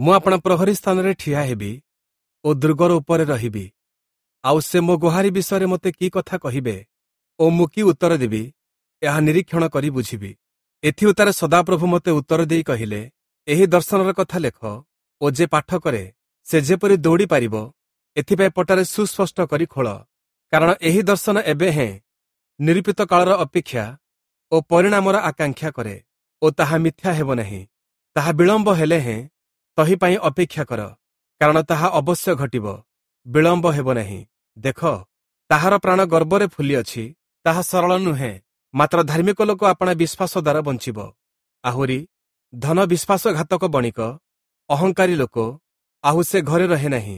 ମୁଁ ଆପଣା ପ୍ରହରୀ ସ୍ଥାନରେ ଠିଆ ହେବି ଓ ଦୁର୍ଗର ଉପରେ ରହିବି। ଆଉ ସେ ମୋ ଗୁହାରି ବିଷୟରେ ମୋତେ କି କଥା କହିବେ ଓ ମୁଁ କି ଉତ୍ତର ଦେବି, ଏହା ନିରୀକ୍ଷଣ କରି ବୁଝିବି। ଏଥିଉତ୍ତାରେ ସଦାପ୍ରଭୁ ମୋତେ ଉତ୍ତର ଦେଇ କହିଲେ, ଏହି ଦର୍ଶନର କଥା ଲେଖ ଓ ଯେ ପାଠ କରେ ସେ ଯେପରି ଦୌଡ଼ି ପାରିବ, ଏଥିପାଇଁ ପଟାରେ ସୁସ୍ପଷ୍ଟ କରି ଖୋଳ। କାରଣ ଏହି ଦର୍ଶନ ଏବେ ହେଁ ନିରୂପିତ କାଳର ଅପେକ୍ଷା ଓ ପରିଣାମର ଆକାଂକ୍ଷା କରେ ଓ ତାହା ମିଥ୍ୟା ହେବ ନାହିଁ। ତାହା ବିଳମ୍ବ ହେଲେ ହେଁ ତହିଁ ପାଇଁ ଅପେକ୍ଷା କର, କାରଣ ତାହା ଅବଶ୍ୟ ଘଟିବ, ବିଳମ୍ବ ହେବ ନାହିଁ। ଦେଖ, ତାହାର ପ୍ରାଣ ଗର୍ବରେ ଫୁଲିଅଛି, ତାହା ସରଳ ନୁହେଁ, ମାତ୍ର ଧାର୍ମିକ ଲୋକ ଆପଣା ବିଶ୍ୱାସ ଦ୍ୱାରା ବଞ୍ଚିବ। ଆହୁରି ଧନ ବିଶ୍ୱାସଘାତକ ବଣିକ, ଅହଙ୍କାରୀ ଲୋକ, ଆହୁ ସେ ଘରେ ରହେ ନାହିଁ।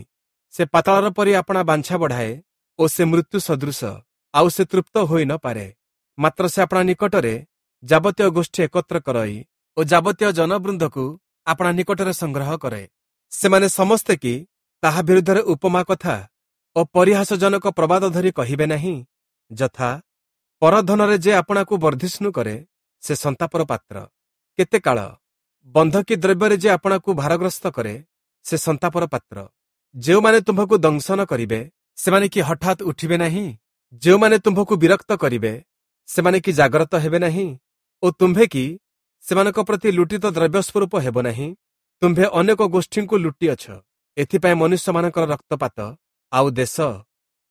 ସେ ପାତାଳର ପରି ଆପଣା ବାଞ୍ଛା ବଢ଼ାଏ ଓ ସେ ମୃତ୍ୟୁ ସଦୃଶ, ଆଉ ସେ ତୃପ୍ତ ହୋଇ ନ ପାରେ। ମାତ୍ର ସେ ଆପଣା ନିକଟରେ ଯାବତୀୟ ଗୋଷ୍ଠୀ ଏକତ୍ର କରଇ ଓ ଯାବତୀୟ ଜନବୃନ୍ଦକୁ ଆପଣା ନିକଟରେ ସଂଗ୍ରହ କରେ। ସେମାନେ ସମସ୍ତେ କି ତାହା ବିରୁଦ୍ଧରେ ଉପମା କଥା ଓ ପରିହାସଜନକ ପ୍ରବାଦ ଧରି କହିବେ ନାହିଁ? ଯଥା, ପରଧନରେ ଯେ ଆପଣାକୁ ବର୍ଦ୍ଧିଷ୍ଣୁ କରେ, ସେ ସନ୍ତାପର ପାତ୍ର। କେତେ କାଳ ବନ୍ଧକୀ ଦ୍ରବ୍ୟରେ ଯେ ଆପଣାକୁ ଭାରଗ୍ରସ୍ତ କରେ, ସେ ସନ୍ତାପର ପାତ୍ର। ଯେଉଁମାନେ ତୁମ୍ଭକୁ ଦଂଶନ କରିବେ, ସେମାନେ କି ହଠାତ୍ ଉଠିବେ ନାହିଁ? ଯେଉଁମାନେ ତୁମ୍ଭକୁ ବିରକ୍ତ କରିବେ, ସେମାନେ କି ଜାଗ୍ରତ ହେବେ ନାହିଁ? ଓ ତୁମ୍ଭେ କି ସେମାନଙ୍କ ପ୍ରତି ଲୁଟିତ ଦ୍ରବ୍ୟ ସ୍ୱରୂପ ହେବ ନାହିଁ? ତୁମ୍ଭେ ଅନେକ ଗୋଷ୍ଠୀଙ୍କୁ ଲୁଟିଅଛ, ଏଥିପାଇଁ ମନୁଷ୍ୟମାନଙ୍କର ରକ୍ତପାତ ଆଉ ଦେଶ,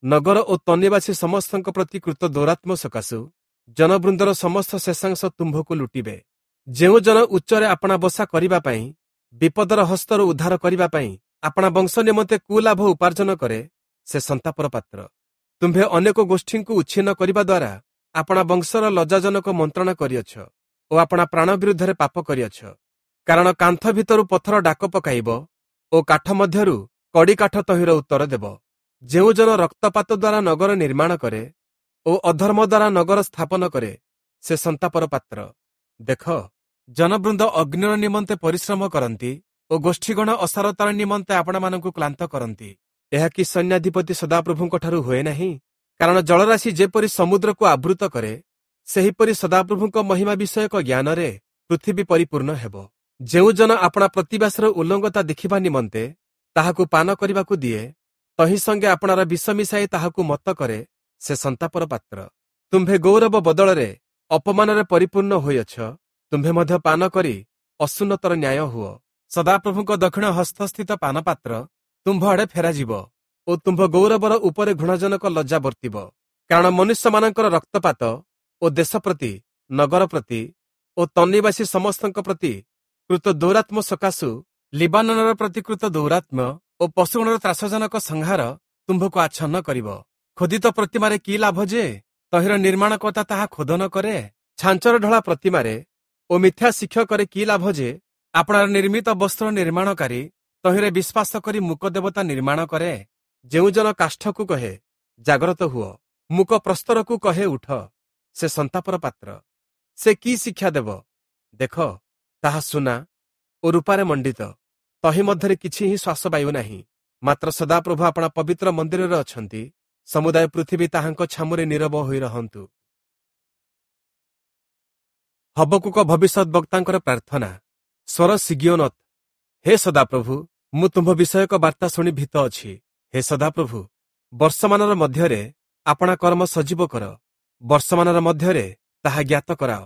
ନଗର ଓ ତନ୍ନିବାସୀ ସମସ୍ତଙ୍କ ପ୍ରତି କୃତ ଦୌରାତ୍ମ୍ୟ ସକାଶୁ ଜନବୃନ୍ଦର ସମସ୍ତ ଶେଷାଂଶ ତୁମ୍ଭକୁ ଲୁଟିବେ। ଯେଉଁ ଜନ ଉଚ୍ଚରେ ଆପଣା ବସା କରିବା ପାଇଁ, ବିପଦର ହସ୍ତରୁ ଉଦ୍ଧାର କରିବା ପାଇଁ ଆପଣା ବଂଶ ନିମନ୍ତେ କୁଲାଭ ଉପାର୍ଜନ କରେ, ସେ ସନ୍ତାପର ପାତ୍ର। ତୁମ୍ଭେ ଅନେକ ଗୋଷ୍ଠୀଙ୍କୁ ଉଚ୍ଛିନ୍ନ କରିବା ଦ୍ୱାରା ଆପଣା ବଂଶର ଲଜ୍ଜାଜନକ ମନ୍ତ୍ରଣା କରିଅଛ ଓ ଆପଣା ପ୍ରାଣ ବିରୁଦ୍ଧରେ ପାପ କରିଅଛ। କାରଣ କାନ୍ଥ ଭିତରୁ ପଥର ଡାକ ପକାଇବ ଓ କାଠ ମଧ୍ୟରୁ କଡ଼ି କାଠ ତହିଁର ଉତ୍ତର ଦେବ। ଯେଉଁ ଜନ ରକ୍ତପାତ ଦ୍ୱାରା ନଗର ନିର୍ମାଣ କରେ ଓ ଅଧର୍ମ ଦ୍ୱାରା ନଗର ସ୍ଥାପନ କରେ, ସେ ସନ୍ତାପର ପାତ୍ର। ଦେଖ, ଜନବୃନ୍ଦ ଅଗ୍ନିର ନିମନ୍ତେ ପରିଶ୍ରମ କରନ୍ତି ଓ ଗୋଷ୍ଠୀଗଣ ଅସାରତାର ନିମନ୍ତେ ଆପଣମାନଙ୍କୁ କ୍ଳାନ୍ତ କରନ୍ତି। ଏହା କି ସୈନ୍ୟାଧିପତି ସଦାପ୍ରଭୁଙ୍କଠାରୁ ହୁଏ ନାହିଁ? କାରଣ ଜଳରାଶି ଯେପରି ସମୁଦ୍ରକୁ ଆବୃତ କରେ, ସେହିପରି ସଦାପ୍ରଭୁଙ୍କ ମହିମା ବିଷୟକ ଜ୍ଞାନରେ ପୃଥିବୀ ପରିପୂର୍ଣ୍ଣ ହେବ। ଯେଉଁ ଜନ ଆପଣା ପ୍ରତିବାସର ଉଲ୍ଲଙ୍ଗତା ଦେଖିବା ନିମନ୍ତେ ତାହାକୁ ପାନ କରିବାକୁ ଦିଏ, ତହିଁ ସଙ୍ଗେ ଆପଣାର ବିଷ ମିଶାଇ ତାହାକୁ ମତ କରେ, ସେ ସନ୍ତାପର ପାତ୍ର। ତୁମ୍ଭେ ଗୌରବ ବଦଳରେ ଅପମାନରେ ପରିପୂର୍ଣ୍ଣ ହୋଇଅଛ, ତୁମ୍ଭେ ମଧ୍ୟ ପାନ କରି ଅସୁନ୍ନତର ନ୍ୟାୟ ହୁଅ। ସଦାପ୍ରଭୁଙ୍କ ଦକ୍ଷିଣ ହସ୍ତସ୍ଥିତ ପାନପାତ୍ର ତୁମ୍ଭ ଆଡ଼େ ଫେରାଯିବ ଓ ତୁମ୍ଭ ଗୌରବର ଉପରେ ଘୃଣାଜନକ ଲଜ୍ଜା ବର୍ତ୍ତିବ। କାରଣ ମନୁଷ୍ୟମାନଙ୍କର ରକ୍ତପାତ ଓ ଦେଶ ପ୍ରତି, ନଗର ପ୍ରତି ଓ ତନ୍ନିବାସୀ ସମସ୍ତଙ୍କ ପ୍ରତି କୃତ ଦୌରାତ୍ମ୍ୟ ସକାଶୁ ଲିବାନନର ପ୍ରତି କୃତ ଦୌରାତ୍ମ୍ୟ ଓ ପଶୁଗଣର ତ୍ରାସଜନକ ସଂହାର ତୁମ୍ଭକୁ ଆଚ୍ଛନ୍ନ କରିବ। ଖୋଦିତ ପ୍ରତିମାରେ କି ଲାଭ ଯେ ତହିଁର ନିର୍ମାଣକର୍ତ୍ତା ତାହା ଖୋଦନ କରେ? ଛାଞ୍ଚର ଢଳା ପ୍ରତିମାରେ ଓ ମିଥ୍ୟା ଶିକ୍ଷକରେ କି ଲାଭ ଯେ ଆପଣାର ନିର୍ମିତ ବସ୍ତ୍ର ନିର୍ମାଣକାରୀ ତହିଁରେ ବିଶ୍ୱାସ କରି ମୂକ ଦେବତା ନିର୍ମାଣ କରେ? ଯେଉଁ ଜନ କାଷ୍ଠକୁ କହେ, ଜାଗ୍ରତ ହୁଅ, ମୂକ ପ୍ରସ୍ତରକୁ କହେ, ଉଠ, ସେ ସନ୍ତାପର ପାତ୍ର। ସେ କି ଶିକ୍ଷା ଦେବ? ଦେଖ, ତାହା ସୁନା ଓ ରୂପାରେ ମଣ୍ଡିତ, ତହିଁ ମଧ୍ୟରେ କିଛି ହିଁ ଶ୍ୱାସବାୟୁ ନାହିଁ। ମାତ୍ର ସଦାପ୍ରଭୁ ଆପଣା ପବିତ୍ର ମନ୍ଦିରରେ ଅଛନ୍ତି, ସମୁଦାୟ ପୃଥିବୀ ତାହାଙ୍କ ଛାମୁରେ ନୀରବ ହୋଇ ରହନ୍ତୁ। ହବକୁକ ଭବିଷ୍ୟତ ବକ୍ତାଙ୍କର ପ୍ରାର୍ଥନା। ସ୍ୱର ସିଗିଓନତ୍। ହେ ସଦାପ୍ରଭୁ, ମୁଁ ତୁମ୍ଭ ବିଷୟକ ବାର୍ତ୍ତା ଶୁଣି ଭୀତ ଅଛି। ହେ ସଦାପ୍ରଭୁ, ବର୍ଷମାନର ମଧ୍ୟରେ ଆପଣା କର୍ମ ସଜୀବ କର, ବର୍ଷମାନର ମଧ୍ୟରେ ତାହା ଜ୍ଞାତ କରାଅ।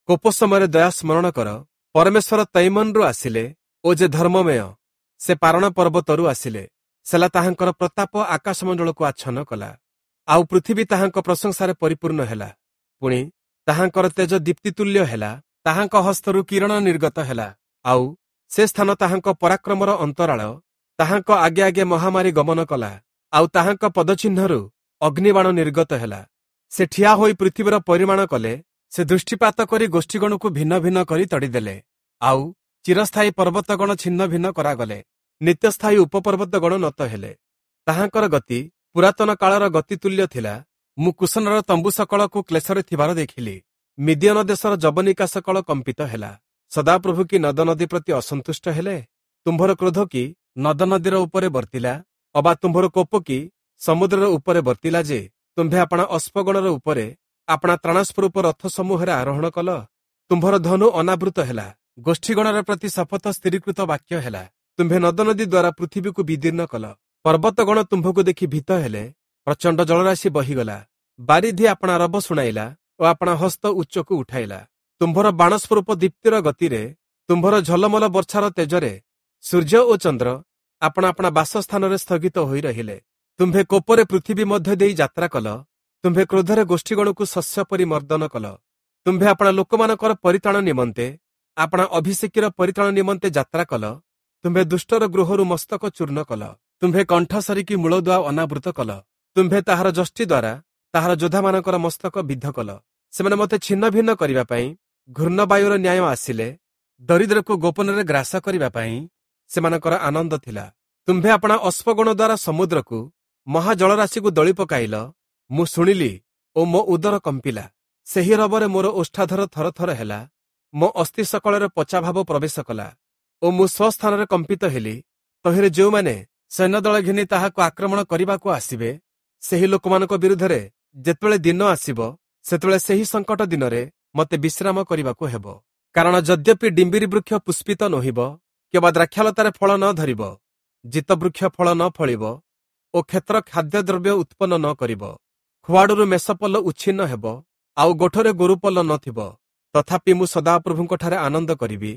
କୋପ ସମୟରେ ଦୟା ସ୍ମରଣ କର। ପରମେଶ୍ୱର ତୈମନରୁ ଆସିଲେ ଓ ଯେ ଧର୍ମମୟ, ସେ ପାରଣ ପର୍ବତରୁ ଆସିଲେ। ସେଲା ତାହାଙ୍କର ପ୍ରତାପ ଆକାଶମଣ୍ଡଳକୁ ଆଚ୍ଛନ୍ନ କଲା, ଆଉ ପୃଥିବୀ ତାହାଙ୍କ ପ୍ରଶଂସାରେ ପରିପୂର୍ଣ୍ଣ ହେଲା। ପୁଣି ତାହାଙ୍କର ତେଜ ଦୀପ୍ତିତୁଲ୍ୟ ହେଲା, ତାହାଙ୍କ ହସ୍ତରୁ କିରଣ ନିର୍ଗତ ହେଲା, ଆଉ ସେ ସ୍ଥାନ ତାହାଙ୍କ ପରାକ୍ରମର ଅନ୍ତରାଳ। ତାହାଙ୍କ ଆଗେ ଆଗେ ମହାମାରୀ ଗମନ କଲା, ଆଉ ତାହାଙ୍କ ପଦଚିହ୍ନରୁ ଅଗ୍ନିବାଣ ନିର୍ଗତ ହେଲା। ସେ ଠିଆ ହୋଇ ପୃଥିବୀର ପରିମାଣ କଲେ, ସେ ଦୃଷ୍ଟିପାତ କରି ଗୋଷ୍ଠୀଗଣକୁ ଭିନ୍ନ ଭିନ୍ନ କରି ତଡ଼ିଦେଲେ, ଆଉ ଚିରସ୍ଥାୟୀ ପର୍ବତଗଣ ଛିନ୍ନ ଭିନ୍ନ କରାଗଲେ, ନିତ୍ୟସ୍ଥାୟୀ ଉପପର୍ବତଗଣ ନତ ହେଲେ। ତାହାଙ୍କର ଗତି ପୁରାତନ କାଳର ଗତି ତୁଲ୍ୟ ଥିଲା। ମୁଁ କୁଶନର ତମ୍ବୁ ସକଳକୁ କ୍ଲେଶରେ ଥିବାର ଦେଖିଲି। ମିଦିୟନ ଦେଶର ଯବନିକା ସକଳ କମ୍ପିତ ହେଲା। ସଦାପ୍ରଭୁ କି ନଦ ନଦୀ ପ୍ରତି ଅସନ୍ତୁଷ୍ଟ ହେଲେ? ତୁମ୍ଭର କ୍ରୋଧ କି ନଦ ନଦୀର ଉପରେ ବର୍ତ୍ତିଲା? ଅବା ତୁମ୍ଭର କୋପ କି ସମୁଦ୍ରର ଉପରେ ବର୍ତ୍ତିଲା ଯେ ତୁମ୍ଭେ ଆପଣା ଅଶ୍ମଗଣର ଉପରେ ଆପଣା ତ୍ରାଣସ୍ୱରୂପ ରଥ ସମୂହରେ ଆରୋହଣ କଲ? ତୁମ୍ଭର ଧନୁ ଅନାବୃତ ହେଲା, ଗୋଷ୍ଠୀଗଣର ପ୍ରତି ଶପଥ ସ୍ଥିରୀକୃତ ବାକ୍ୟ ହେଲା। ତୁମ୍ଭେ ନଦନଦୀ ଦ୍ୱାରା ପୃଥିବୀକୁ ବିଦୀର୍ଣ୍ଣ କଲ। ପର୍ବତଗଣ ତୁମ୍ଭକୁ ଦେଖି ଭୀତ ହେଲେ, ପ୍ରଚଣ୍ଡ ଜଳରାଶି ବହିଗଲା। ବାରିଧି ଆପଣା ରବ ଶୁଣାଇଲା ଓ ଆପଣା ହସ୍ତ ଉଚ୍ଚକୁ ଉଠାଇଲା। ତୁମ୍ଭର ବାଣସ୍ୱରୂପ ଦୀପ୍ତିର ଗତିରେ, ତୁମ୍ଭର ଝଲମଲ ବର୍ଷାର ତେଜରେ ସୂର୍ଯ୍ୟ ଓ ଚନ୍ଦ୍ର ଆପଣା ଆପଣା ବାସସ୍ଥାନରେ ସ୍ଥଗିତ ହୋଇ ରହିଲେ। ତୁମ୍ଭେ କୋପରେ ପୃଥିବୀ ମଧ୍ୟ ଦେଇ ଯାତ୍ରା କଲ, ତୁମ୍ଭେ କ୍ରୋଧରେ ଗୋଷ୍ଠୀଗଣକୁ ଶସ୍ୟ ପରି ମର୍ଦ୍ଦନ କଲ। ତୁମ୍ଭେ ଆପଣା ଲୋକମାନଙ୍କର ପରିତ୍ରାଣ ନିମନ୍ତେ, ଆପଣା ଅଭିଷେକୀର ପରିତ୍ରାଣ ନିମନ୍ତେ ଯାତ୍ରା କଲ। ତୁମ୍ଭେ ଦୁଷ୍ଟର ଗୃହରୁ ମସ୍ତକ ଚୂର୍ଣ୍ଣ କଲ। ତୁମ୍ଭେ କଣ୍ଠ ସରିକି ମୂଳଦୁଆ ଅନାବୃତ କଲ। ତୁମ୍ଭେ ତାହାର ଯଷ୍ଟି ଦ୍ୱାରା ତାହାର ଯୋଦ୍ଧାମାନଙ୍କର ମସ୍ତକ ବିଦ୍ଧ କଲ। ସେମାନେ ମୋତେ ଛିନ୍ନ ଭିନ୍ନ କରିବା ପାଇଁ ଘୂର୍ଣ୍ଣବାୟୁର ନ୍ୟାୟ ଆସିଲେ, ଦରିଦ୍ରକୁ ଗୋପନରେ ଗ୍ରାସ କରିବା ପାଇଁ ସେମାନଙ୍କର ଆନନ୍ଦ ଥିଲା। ତୁମ୍ଭେ ଆପଣା ଅଶ୍ୱଗଣ ଦ୍ୱାରା ସମୁଦ୍ରକୁ, ମହାଜଳରାଶିକୁ ଦଳି ପକାଇଲ। ମୁଁ ଶୁଣିଲି ଓ ମୋ ଉଦର କମ୍ପିଲା। ସେହି ରବରେ ମୋର ଓଷ୍ଠାଧର ଥରଥର ହେଲା, ମୋ ଅସ୍ଥି ସକଳରେ ପଚାଭାବ ପ୍ରବେଶ କଲା ଓ ମୁଁ ସ୍ୱସ୍ଥାନରେ କମ୍ପିତ ହେଲି। ତହିଁରେ ଯେଉଁମାନେ ସୈନ୍ୟଦଳ ଘେନି ତାହାକୁ ଆକ୍ରମଣ କରିବାକୁ ଆସିବେ, ସେହି ଲୋକମାନଙ୍କ ବିରୁଦ୍ଧରେ ଯେତେବେଳେ ଦିନ ଆସିବ, ସେତେବେଳେ ସେହି ସଙ୍କଟ ଦିନରେ ମୋତେ ବିଶ୍ରାମ କରିବାକୁ ହେବ। କାରଣ ଯଦ୍ୟପି ଡିମ୍ବିରି ବୃକ୍ଷ ପୁଷ୍ପିତ ନୋହିବ, କିମ୍ବା ଦ୍ରାକ୍ଷାଲତାରେ ଫଳ ନ ଧରିବ, ଜିତ ବୃକ୍ଷ ଫଳ ନ ଫଳିବ ଓ କ୍ଷେତ୍ର ଖାଦ୍ୟଦ୍ରବ୍ୟ ଉତ୍ପନ୍ନ ନ କରିବ, ଖୁଆଡ଼ରୁ ମେଷପଲ ଉଚ୍ଛିନ୍ନ ହେବ, ଆଉ ଗୋଠରେ ଗୋରୁପଲ ନଥିବ, ତଥାପି ମୁଁ ସଦାପ୍ରଭୁଙ୍କଠାରେ ଆନନ୍ଦ କରିବି,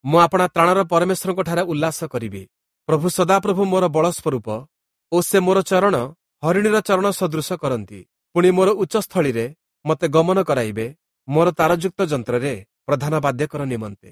ମୁଁ ଆପଣା ତ୍ରାଣର ପରମେଶ୍ୱରଙ୍କଠାରେ ଉଲ୍ଲାସ କରିବି। ପ୍ରଭୁ ସଦାପ୍ରଭୁ ମୋର ବଳ ସ୍ୱରୂପ ଓ ସେ ମୋର ଚରଣ ହରିଣୀର ଚରଣ ସଦୃଶ କରନ୍ତି। ପୁଣି ମୋର ଉଚ୍ଚସ୍ଥଳୀରେ ମୋତେ ଗମନ କରାଇବେ, ମୋର ତାରଯୁକ୍ତ ଯନ୍ତ୍ରରେ ପ୍ରଧାନ ବାଦ୍ୟକର ନିମନ୍ତେ।